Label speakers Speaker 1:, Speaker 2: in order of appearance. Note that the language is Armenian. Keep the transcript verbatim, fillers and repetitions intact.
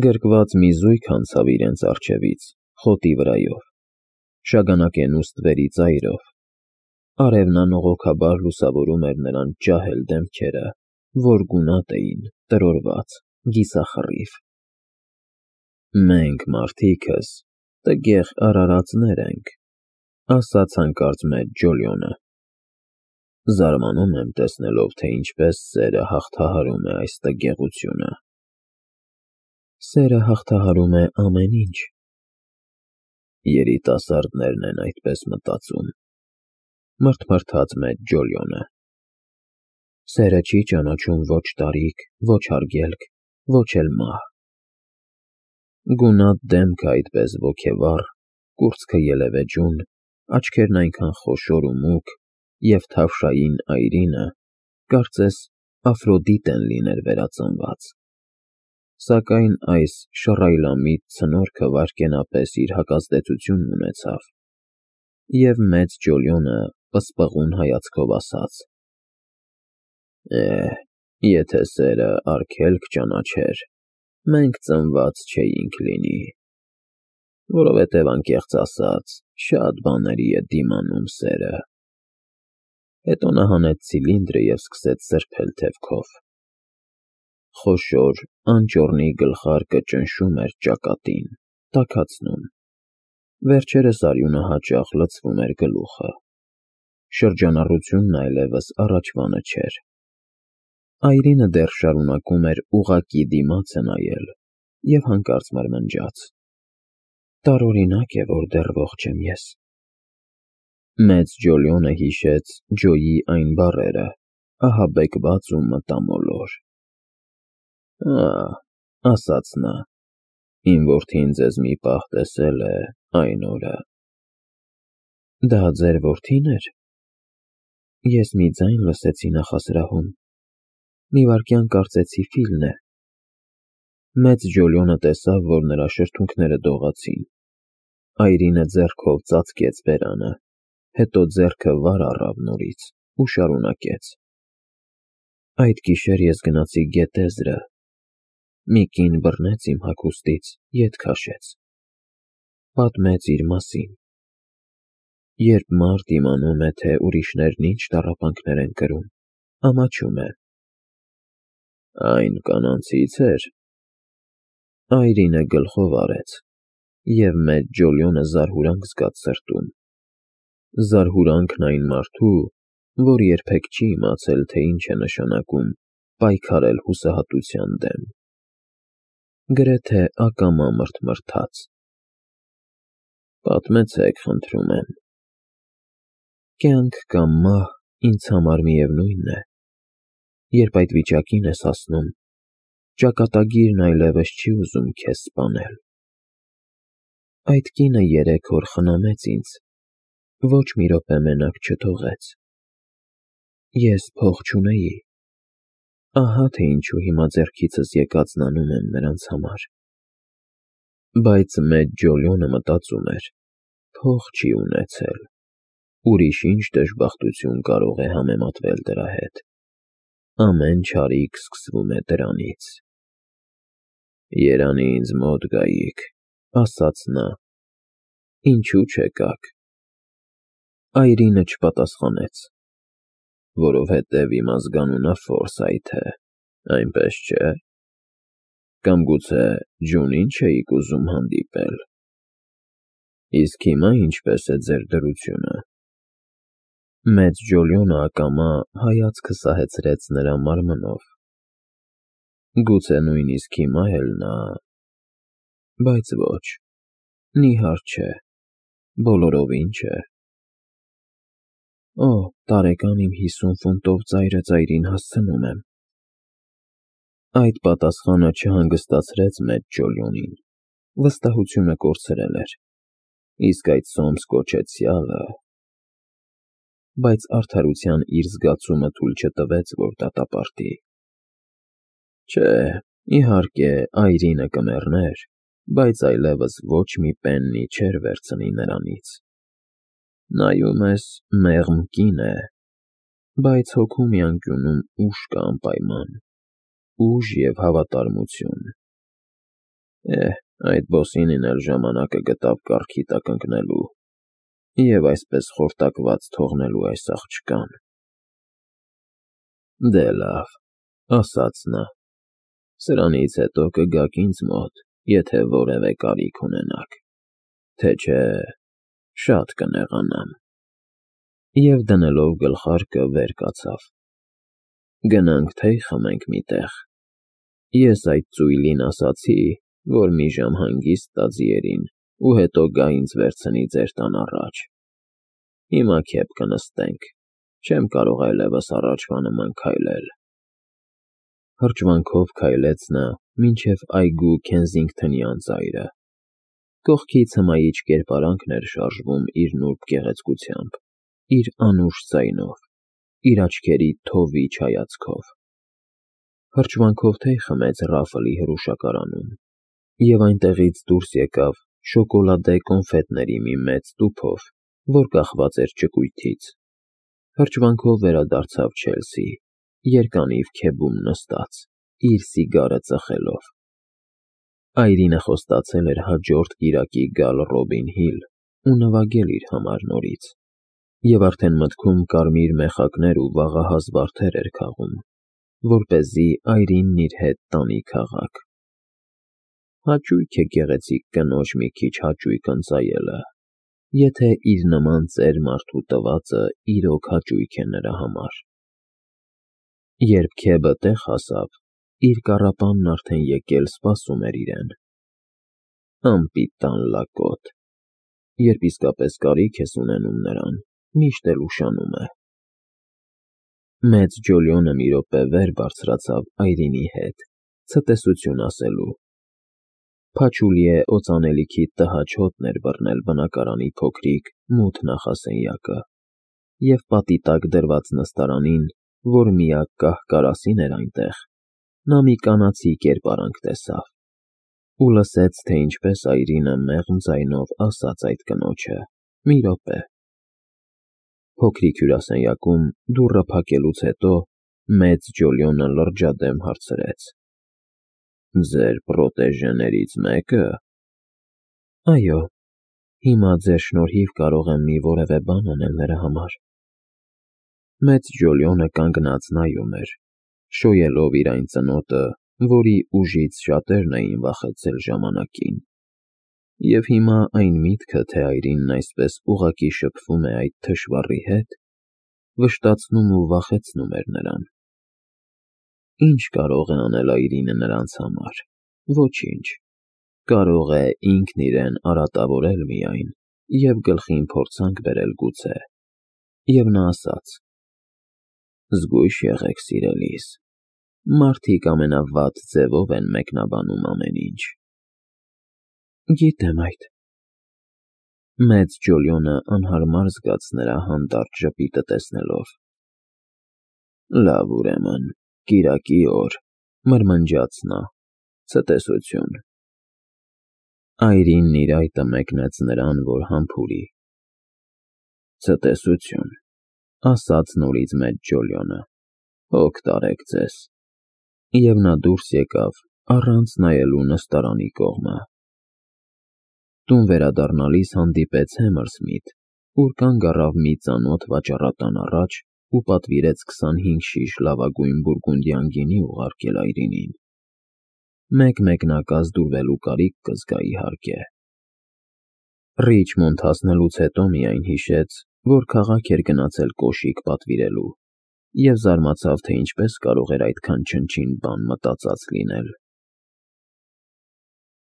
Speaker 1: Գրկված մի զույգ անցավ իրենց առջևից, խոտի վրայով, շագանակենուստ վերի ծայրով, արևն անողոքաբար լուսավորում էր նրանց ջահել դեմքերը, որ գունատ էին, տրորված, կիսախռիվ։ «Մենք մարդիկս տգեղ արարածներ ենք», ասաց հանկարծ մեծ Ջոլիոնը։ «Զարմանում եմ տեսնելով, թե ինչպես սերը հաղթահարում է այս տգեղությունը»։ «Սերը հաղթահարում է ամեն ինչ»։ Երիտասարդներն են այդպես մտածում, մռթմռթաց մեծ Ջոլիոնը։ Սերը չի ճանաչում ոչ տարիք, ոչ արգելք, ոչ էլ մահ։ Գունատ դեմքը այդպես ոգևառ, կուրծքը ելևէջուն, աչքերն այնքան խոշոր ու մուգ և թավշային այրինը, կարծես Աֆրոդիտեն լիներ վերածնված։ Սակայն այս շռայլամիտ ցնորքը վայրկենապես իր հակազդեցությունն ունեցավ, և մեծ Ջոլիոնը պսպղուն հայացքով ասաց. «Է, եթե սերը արգելք ճանաչեր, մենք ծնված չէինք լինի, որովհետև անկեղծ ասած, շատ բաների է դիմանում սերը»։ Հետո նա հանեց ցիլինդրը և սկսեց սրբել թևքով։ Խոշոր, անճոռնի գլխարկը ճնշում էր ճակատին, տաքացնում, վերջերս արյունը հաճախ լցվում էր գլուխը։ Շրջանառությունն այլևս առաջվանը չէր։ Այրինը դեռ շարունակում էր ուղղակի դիմացը նայել և հանկարծ մրմնջաց. «Տարօրինակ է, որ դեռ ողջ եմ ես»։ Մեծ Ջոլիոնը հիշեց Ջոյի այն բառերը, ահաբեկված ու մտամոլոր։ «Ա՛, ֊ ասաց նա, ֊ իմ որդին ձեզ մի պահ տեսել է այն օրը»։ «Դա ձեր որդի՞ն էր»։ Ես մի ձայն լսեցի նախասրահում, մի վայրկյան կարծեցի Ֆիլն է։ Մեծ Ջոլիոնը տեսավ, որ նրա շրթունքները դողացին։ Այրինը ձեռքով ծածկեց բերանը, հետո ձեռքը վար առավ նորից ու շարունակեց. «Այդ գիշեր ես գնացի գետեզրը, մի կին բռնեց իմ հագուստից, ետ քաշեց, պատմեց իր մասին։ Երբ մարդ իմանում է, թե ուրիշներն ինչ տառապանքներ են կրում, ամաչում է»։ «Այն կանանցի՞ց էր»։ Այրինը գլխով արեց, և մեծ Ջոլիոնը զարհուրանք զգաց սրտում, զարհուրանքն այն մարդու, որ երբեք չի իմացել, թե ինչ է նշանակում պայքարել հուսահատության դեմ։ Գրեթե ակամա մռթմռթաց. «Պատմեցեք, խնդրում եմ»։ «Կյանք կամ մահ ինձ համար միևնույն է։ Երբ այդ վիճակին ես հասնում, ճակատագիրն այլևս չի ուզում քեզ սպանել։ Այդ կինը երեք օր խնամեց ինձ, ոչ մի րոպե մենակ չթողեց։ Ես փող չունեի, ահա թե ինչու հիմա ձեռքիցս եկածն անում եմ նրանց համար»։ Բայց մեծ Ջոլիոնը մտածում էր. փող չի ունեցել, ուրիշ ինչ դժբախտություն կարող է համեմատվել դրա հետ։ Ամեն չարիք սկսվում է դրանից։ «Երանի ինձ մոտ գայիք», ֊ ասաց նա։ «Ինչու չեկաք»։ Այրինը չպատասխանեց։ «Որովհետև իմ ազգանունը Ֆորսայթ է, այնպես չէ՞։ Կամ գուցե Ջունին չէիք ուզում հանդիպել։ Իսկ հիմա ինչպե՞ս է ձեր դրությունը»։ Մեծ Ջոլիոնը ակամա հայացքը սահեցրեց նրա մարմնով։ Գուցե նույնիսկ հիմա էլ նա… Բայց ոչ, նիհար չէ, բոլորովին չէ։ «Օ, տարեկան իմ հիսուն ֆունտով ծայրը ծայրին հասցնում եմ»։ Այդ պատասխանը չհանգստացրեց մեծ Ջոլիոնին, վստահությունը կորցրել էր, իսկ այդ սոմս կոչեցյալը… Բայց արդարության իր զգացումը թույլ չտվեց, որ դատապարտի։ Չէ, իհարկե, այրինը կմեռներ, բայց այլևս ոչ մի պեննի չէր վերցնի նրանից։ Նայում ես, մեղմ կին է, բայց հոգու մի անկյունում ուժ կա անպայման, ուժ և հավատարմություն։ Էհ, այդ բոսինին էլ ժամանակը գտավ կառքի տակ ընկնելու և այսպես խորտակված թողնելու այս աղջկան։ Դե լավ, ասաց նա, սրանից հետո կգաք ինձ մոտ, եթե որևէ կարիք ունենաք, թե չէ շատ կնեղանամ։ Եվ դնելով գլխարկը վեր կացավ։ Գնանք թեյ խմենք մի տեղ։ Ես այդ ծույլին ասացի, որ մի ժամ հանգիստ տա ձիերին ու հետո գա ինձ վերցնի ձեր տան առաջ։ Հիմա քեֆ կնստենք, չեմ կարող այլևս առաջվա նման քայլել։ Հրճվանքով քայլեց նա մինչև այգու Քենսինգթոնի անծայրը։ Կողքից հմայիչ կերպարանքն էր շարժվում իր նուրբ գեղեցկությամբ, իր անուշ ձայնով, իր աչքերի թովիչ հայացքով։ Հրճվանքով թեյ խմեց Ռաֆլի հրուշակարանում, և այնտեղից դուրս եկավ շոկոլադե կոնֆետների մի մեծ տուփով, որ կախված էր ճկույթից։ Հրճվանքով վերադարձավ Չելսի, երկանիվ քեբում նստած, իր սիգարը ծխելով։ Այրինը խոստացել էր հաջորդ կիրակի գալ Ռոբին Հիլ ու նվագել իր համար նորից, և արդեն մտքում կարմիր մեխակներ ու վաղահաս վարդեր էր քաղում, որպեսզի Այրինն իր հետ տանի քաղաք։ Հաճույք է գեղեցիկ կնոջ մի քիչ հաճույք ընծայելը, եթե իր նման ծեր մարդու տվածը իրոք հաճույք է նրա համար։ Երբ քեբը տեղ հասավ, իր կառապանն արդեն եկել սպասում էր իրեն։ Անպիտան լակոտ, երբ իսկապես կարիք ես ունենում նրան, միշտ էլ ուշանում է։ Մեծ Ջոլիոնը մի րոպե վեր բարձրացավ Այրինի հետ, ցտեսություն ասելու։ Փաչուլիե օծանելիքի տհաճ հոտն էր բռնել բնակարանի փոքրիկ, մութ նախասենյակը, և պատի տակ դրված նստարանին, որ միակ կահ֊կարասին էր այնտեղ, նա մի կանացի կերպարանք տեսավ ու լսեց, թե ինչպես Այրինը մեղմ ձայնով ասաց այդ կնոջը. «Մի րոպե»։ Փոքրիկ հյուրասենյակում դուռը փակելուց հետո մեծ Ջոլիոնը լրջադեմ հարցրեց. «Ձեր պրոտեժեներից մե՞կը»։ «Այո, հիմա ձեր շնորհիվ կարող եմ մի որևէ բան անել նրա համար»։ Մեծ Ջոլիոնը կանգնած նայում էր, շոյելով իր այն ծնոտը, որի ուժից շատերն էին վախեցել ժամանակին, և հիմա այն միտքը, թե Այրինն այսպես ուղղակի շփվում է այդ թշվառի հետ, վշտացնում ու վախեցնում էր նրան։ Ի՞նչ կարող է անել Այրինը նրանց համար։ Ոչինչ։ Կարող է ինքն իրեն արատավորել միայն և գլխին փորձանք բերել գուցե։ Եվ նա ասաց. «Զգույշ եղեք, սիրելիս, մարդիկ ամենավատ ձևով են մեկնաբանում ամեն ինչ»։ Գիտեմ այդ։ Մեծ Ջոլիոնը անհարմար զգաց նրա հանդարտ ժպիտը տեսնելով։ Լավ, ուրեմն, կիրակի օր, մրմնջաց նա, ցտեսություն։ Այրինն իր այտը մեկնեց նրան, որ համբուրի։ Ցտեսություն, ասաց նորից մեծ Ջոլիոնը, հոգ տարեք ձեզ։ Եվ նա դուրս եկավ, առանց նայելու նստարանի կողմը։ Տուն վերադառնալիս հանդիպեց Հեմերսմիթ, ուր կանգ առավ մի ծանոթ վաճառատան առաջ ու պատվիրեց քսանհինգ շիշ լավագույն բուրգունդյան գինի ուղարկել Այրինին։ Մեկ մեկնակ ազդուրվելու կարիք կզգա, իհարկե։ Ռիչմոնդ հասնելուց հետո միայն հիշեց, որ քաղաք էր գնացել կոշիկ պատվիրելու, և զարմացավ, թե ինչպես կարող էր այդքան չնչին բան մտածած լինել։